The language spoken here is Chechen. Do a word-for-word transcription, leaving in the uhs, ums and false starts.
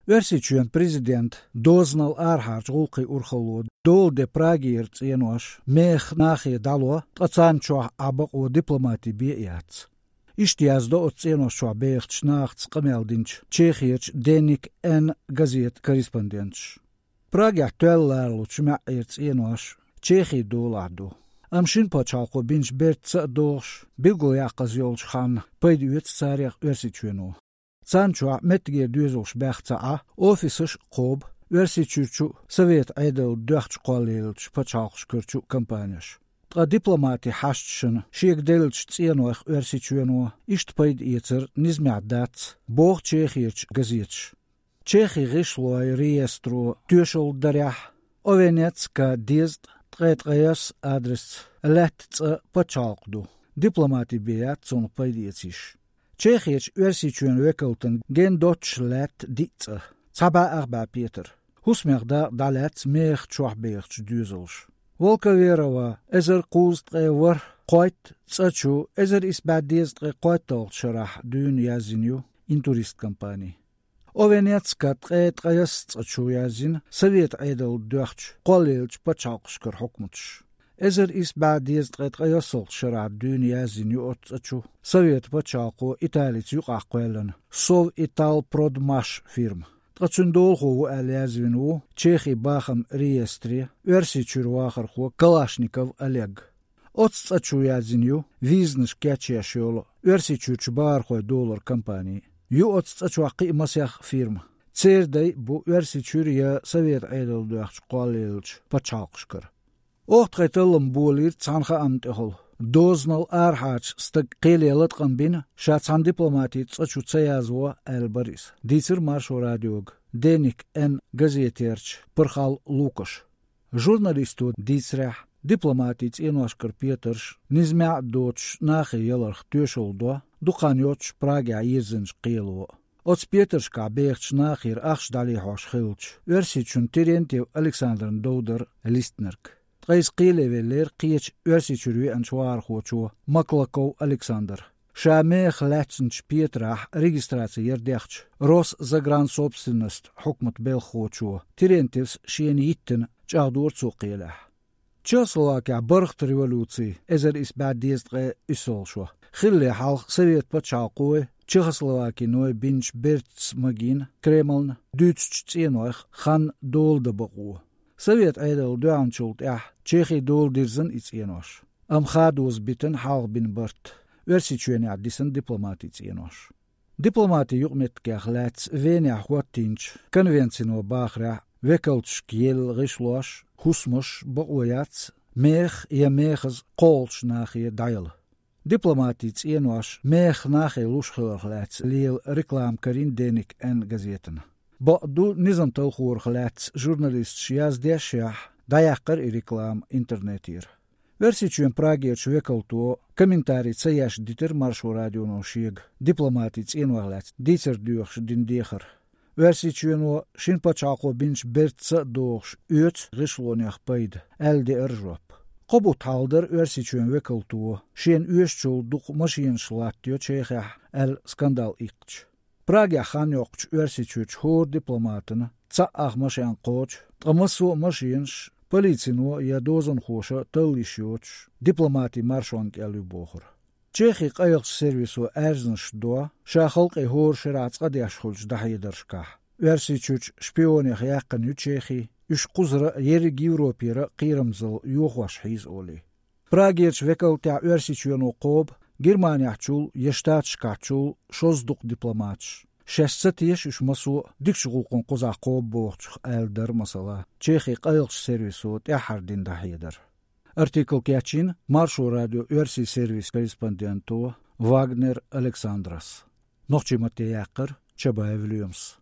Оьрсийчоьнан президента дозанал арахьарчу гӀуллакхийн урхалло дола де Прагера цӀенош мехах нахе дӀало, ткъа царна чохь Ӏа бакъо дипломатин бен яц. Иштта яздо оцу цӀенош чохь бехачу нахаца къамел динчу Чехерчу Деник Н газетан корреспонденташа. Прагехь тоьлла ларалучу маьӀӀера цӀенош Чехин долахь ду. Амма шина пачхьалкхо бинчу бертаца а догӀуш, билгалъяккхаза йолчу ханна пайда оьцу царех Оьрсийчоьно. Царна чохь меттигера доьзалш баьхна ца Ӏа, офисаш а кхобу Оьрсийчуьрчу а, Советан Ӏедална доьхначу кхоллаеллачу пачхьалкхашкарчу а компанеш. Ткъа дипломатин хьашташна шега деллачу цӀенойх Оьрсийчоьно иштта пайда эцар низамехь дац, боху Чехерчу газеташа. Чехин гӀишлойн реестро тоьшалла дарехь, Овенец-К дезткъа ткъе ткъайоьсна адресца лаьтта цӀа пачхьалкх ду, дипломатин бен яц цунах пайда эца йиш. Чехерчу Оьрсийчоьнан векалтан гена доццуш лаьтта диъ цӀа, цхьа бӀе ах бӀе петар. ХӀусамех дакъа дӀалаьцна мехах чохь бехачу доьзалша. Волковерово эзар кхузткъе ворхӀ кхойтта цӀа чу эзар исс бӀе дезткъе кхойтталгӀачу шарахь дуьйна яздина ю «Интурист» компани. Овенец-К ткъе ткъайоьсна цӀа чу яздина Советан Ӏедална доьхначу кхоллаеллачу пачхьалкхашкара хьукматаша. Эзар исс бӀе дезткъе ткъайоьсналгӀачу шарахь дуьйна яздина ю оцу цӀа чу Советан пачхьалкхо Италица юкъахкхоьллина Сов Итал Продмаш фирма. Ткъа цуьнан долахо ву аьлла яздина ву Чехин бахаман реестре Оьрсийчуьра вахархо Калашников Олег. Оцу цӀа чу яздина ю визанаш кечъеш йолу Оьрсийчуьрчу бахархой долоран компани. Ю оцу цӀа чохь кхин а масех фирма. Церан дай а бу Оьрсийчуьра я Советан Ӏедална доьхначу кхоллаеллачу пачхьалкхашкара. Оха тхайн таллам болийра цхьана хаамна тӀехула. Дозанал арахьарчу стага кхеле латкъам бина, ша цхьана дипломатин цӀа чу ца язво, аьлла бара иза, дийцира Маршо радиога Деник Н газетерчу Пархал Лукаша. Журналисто дийцарехь, дипломатин цӀеношкара петарш низамехь а доцуш нахе яларх тоьшалла до дукха хан йоццуш Прагехь йирзинчу кхело. Оцу петаршкахь бехачу нахера ахча дӀалехьош хиллачу Оьрсийчуьнан Терентьев Александрна дов дара листнарг. Ткъа иза кхеле веллера кхечу Оьрсийчуьра веанчу вахархочо Маклаков Александра. Ша мехах лаьцначу петарехь регистраци яр дехча, Росзагрансобственность хьукматан белхахочо Терентьевс шена йиттина, чӀагӀдора цо кхелехь. Чехословакехь бархӀ революци, эзар исс бӀе дезткъе уьссалгӀа шо, хиллале хьалха Советан пачхьалкхой, Чехословакиной бинчу бертаца магийна Кремльна дуьйцучу цӀенойх хан дола дан бакъо. Советан Ӏедална доьхначул тӀаьхьа Чехин дола дирзина и цӀенош. Амма хадоза битина хьалха бина барт, Оьрсийчоьнехь дисина дипломатин цӀенош. Дипломатин юкъаметтигех лаьцна Венехь хӀоттийначу конвенцино бахарехь, векалташка елла гӀишлош, хӀусамаш бакъо яц мехах я мехаза кхоллалучу нахе дӀаяла. Дипломатин цӀенош мехах нахе луш хиларх лаьцна лела реклама карийна Деник Н газетана. Бакъду, низам талхорах лаьцна журналисташа яздешшехь, дӀаяьккхира и реклама интернетера. Оьрсийчоьнан Прагерчу векалто комментарий ца еш дитира Маршо радионо шега дипломатин цӀенойх лаьцна дийцар доьхуш дина дехар. Оьрсийчоьно шина пачхьалкхо бинчу бертаца а догӀуш оьцу гӀишлонех пайда, аьлла деара жоп. Кхо бутт хьалха дара Оьрсийчоьнан векалто шена оьшучул дукха машенаш латтайо Чехехь аьлла скандал иккхича. Прагехь хан йоккхучу Оьрсийчуьрчу хӀора дипломатана цхьа ах машен кхочу, ткъа массо а машенаш полицино я дозанхоша талла йиш йоцуш дипломатин маршонна кӀел ю бохура. Чехин къайлахчу сервисо аьрзнаш до ша халкъе хӀора шарахь цкъа деш хуьлучу дӀахьедаршкахь. Оьрсийчуьрчу шпионех яьккхина ю Чехи, уьш кхузара а, ерриг Европера а кхерамзалла йохош хьийза олий. Прагерчу векалтехь Оьрсийчоьно кхобу Германехьчул я Штаташкахьчул шозза дукха дипломаташ. Шаьш ца теша уьш массо а дикачу гӀуллакхна кхузахь кхобу бохучух, аьлла дара масала Чехин къайлахчу сервисо тӀаьххьара дина дӀахьедар. Артикл кечйина Маршо радион оьрсийн сервисан корреспонденто Вагнер Александрас. Нохчийн матте яьккхира Чабаев Лоьмас.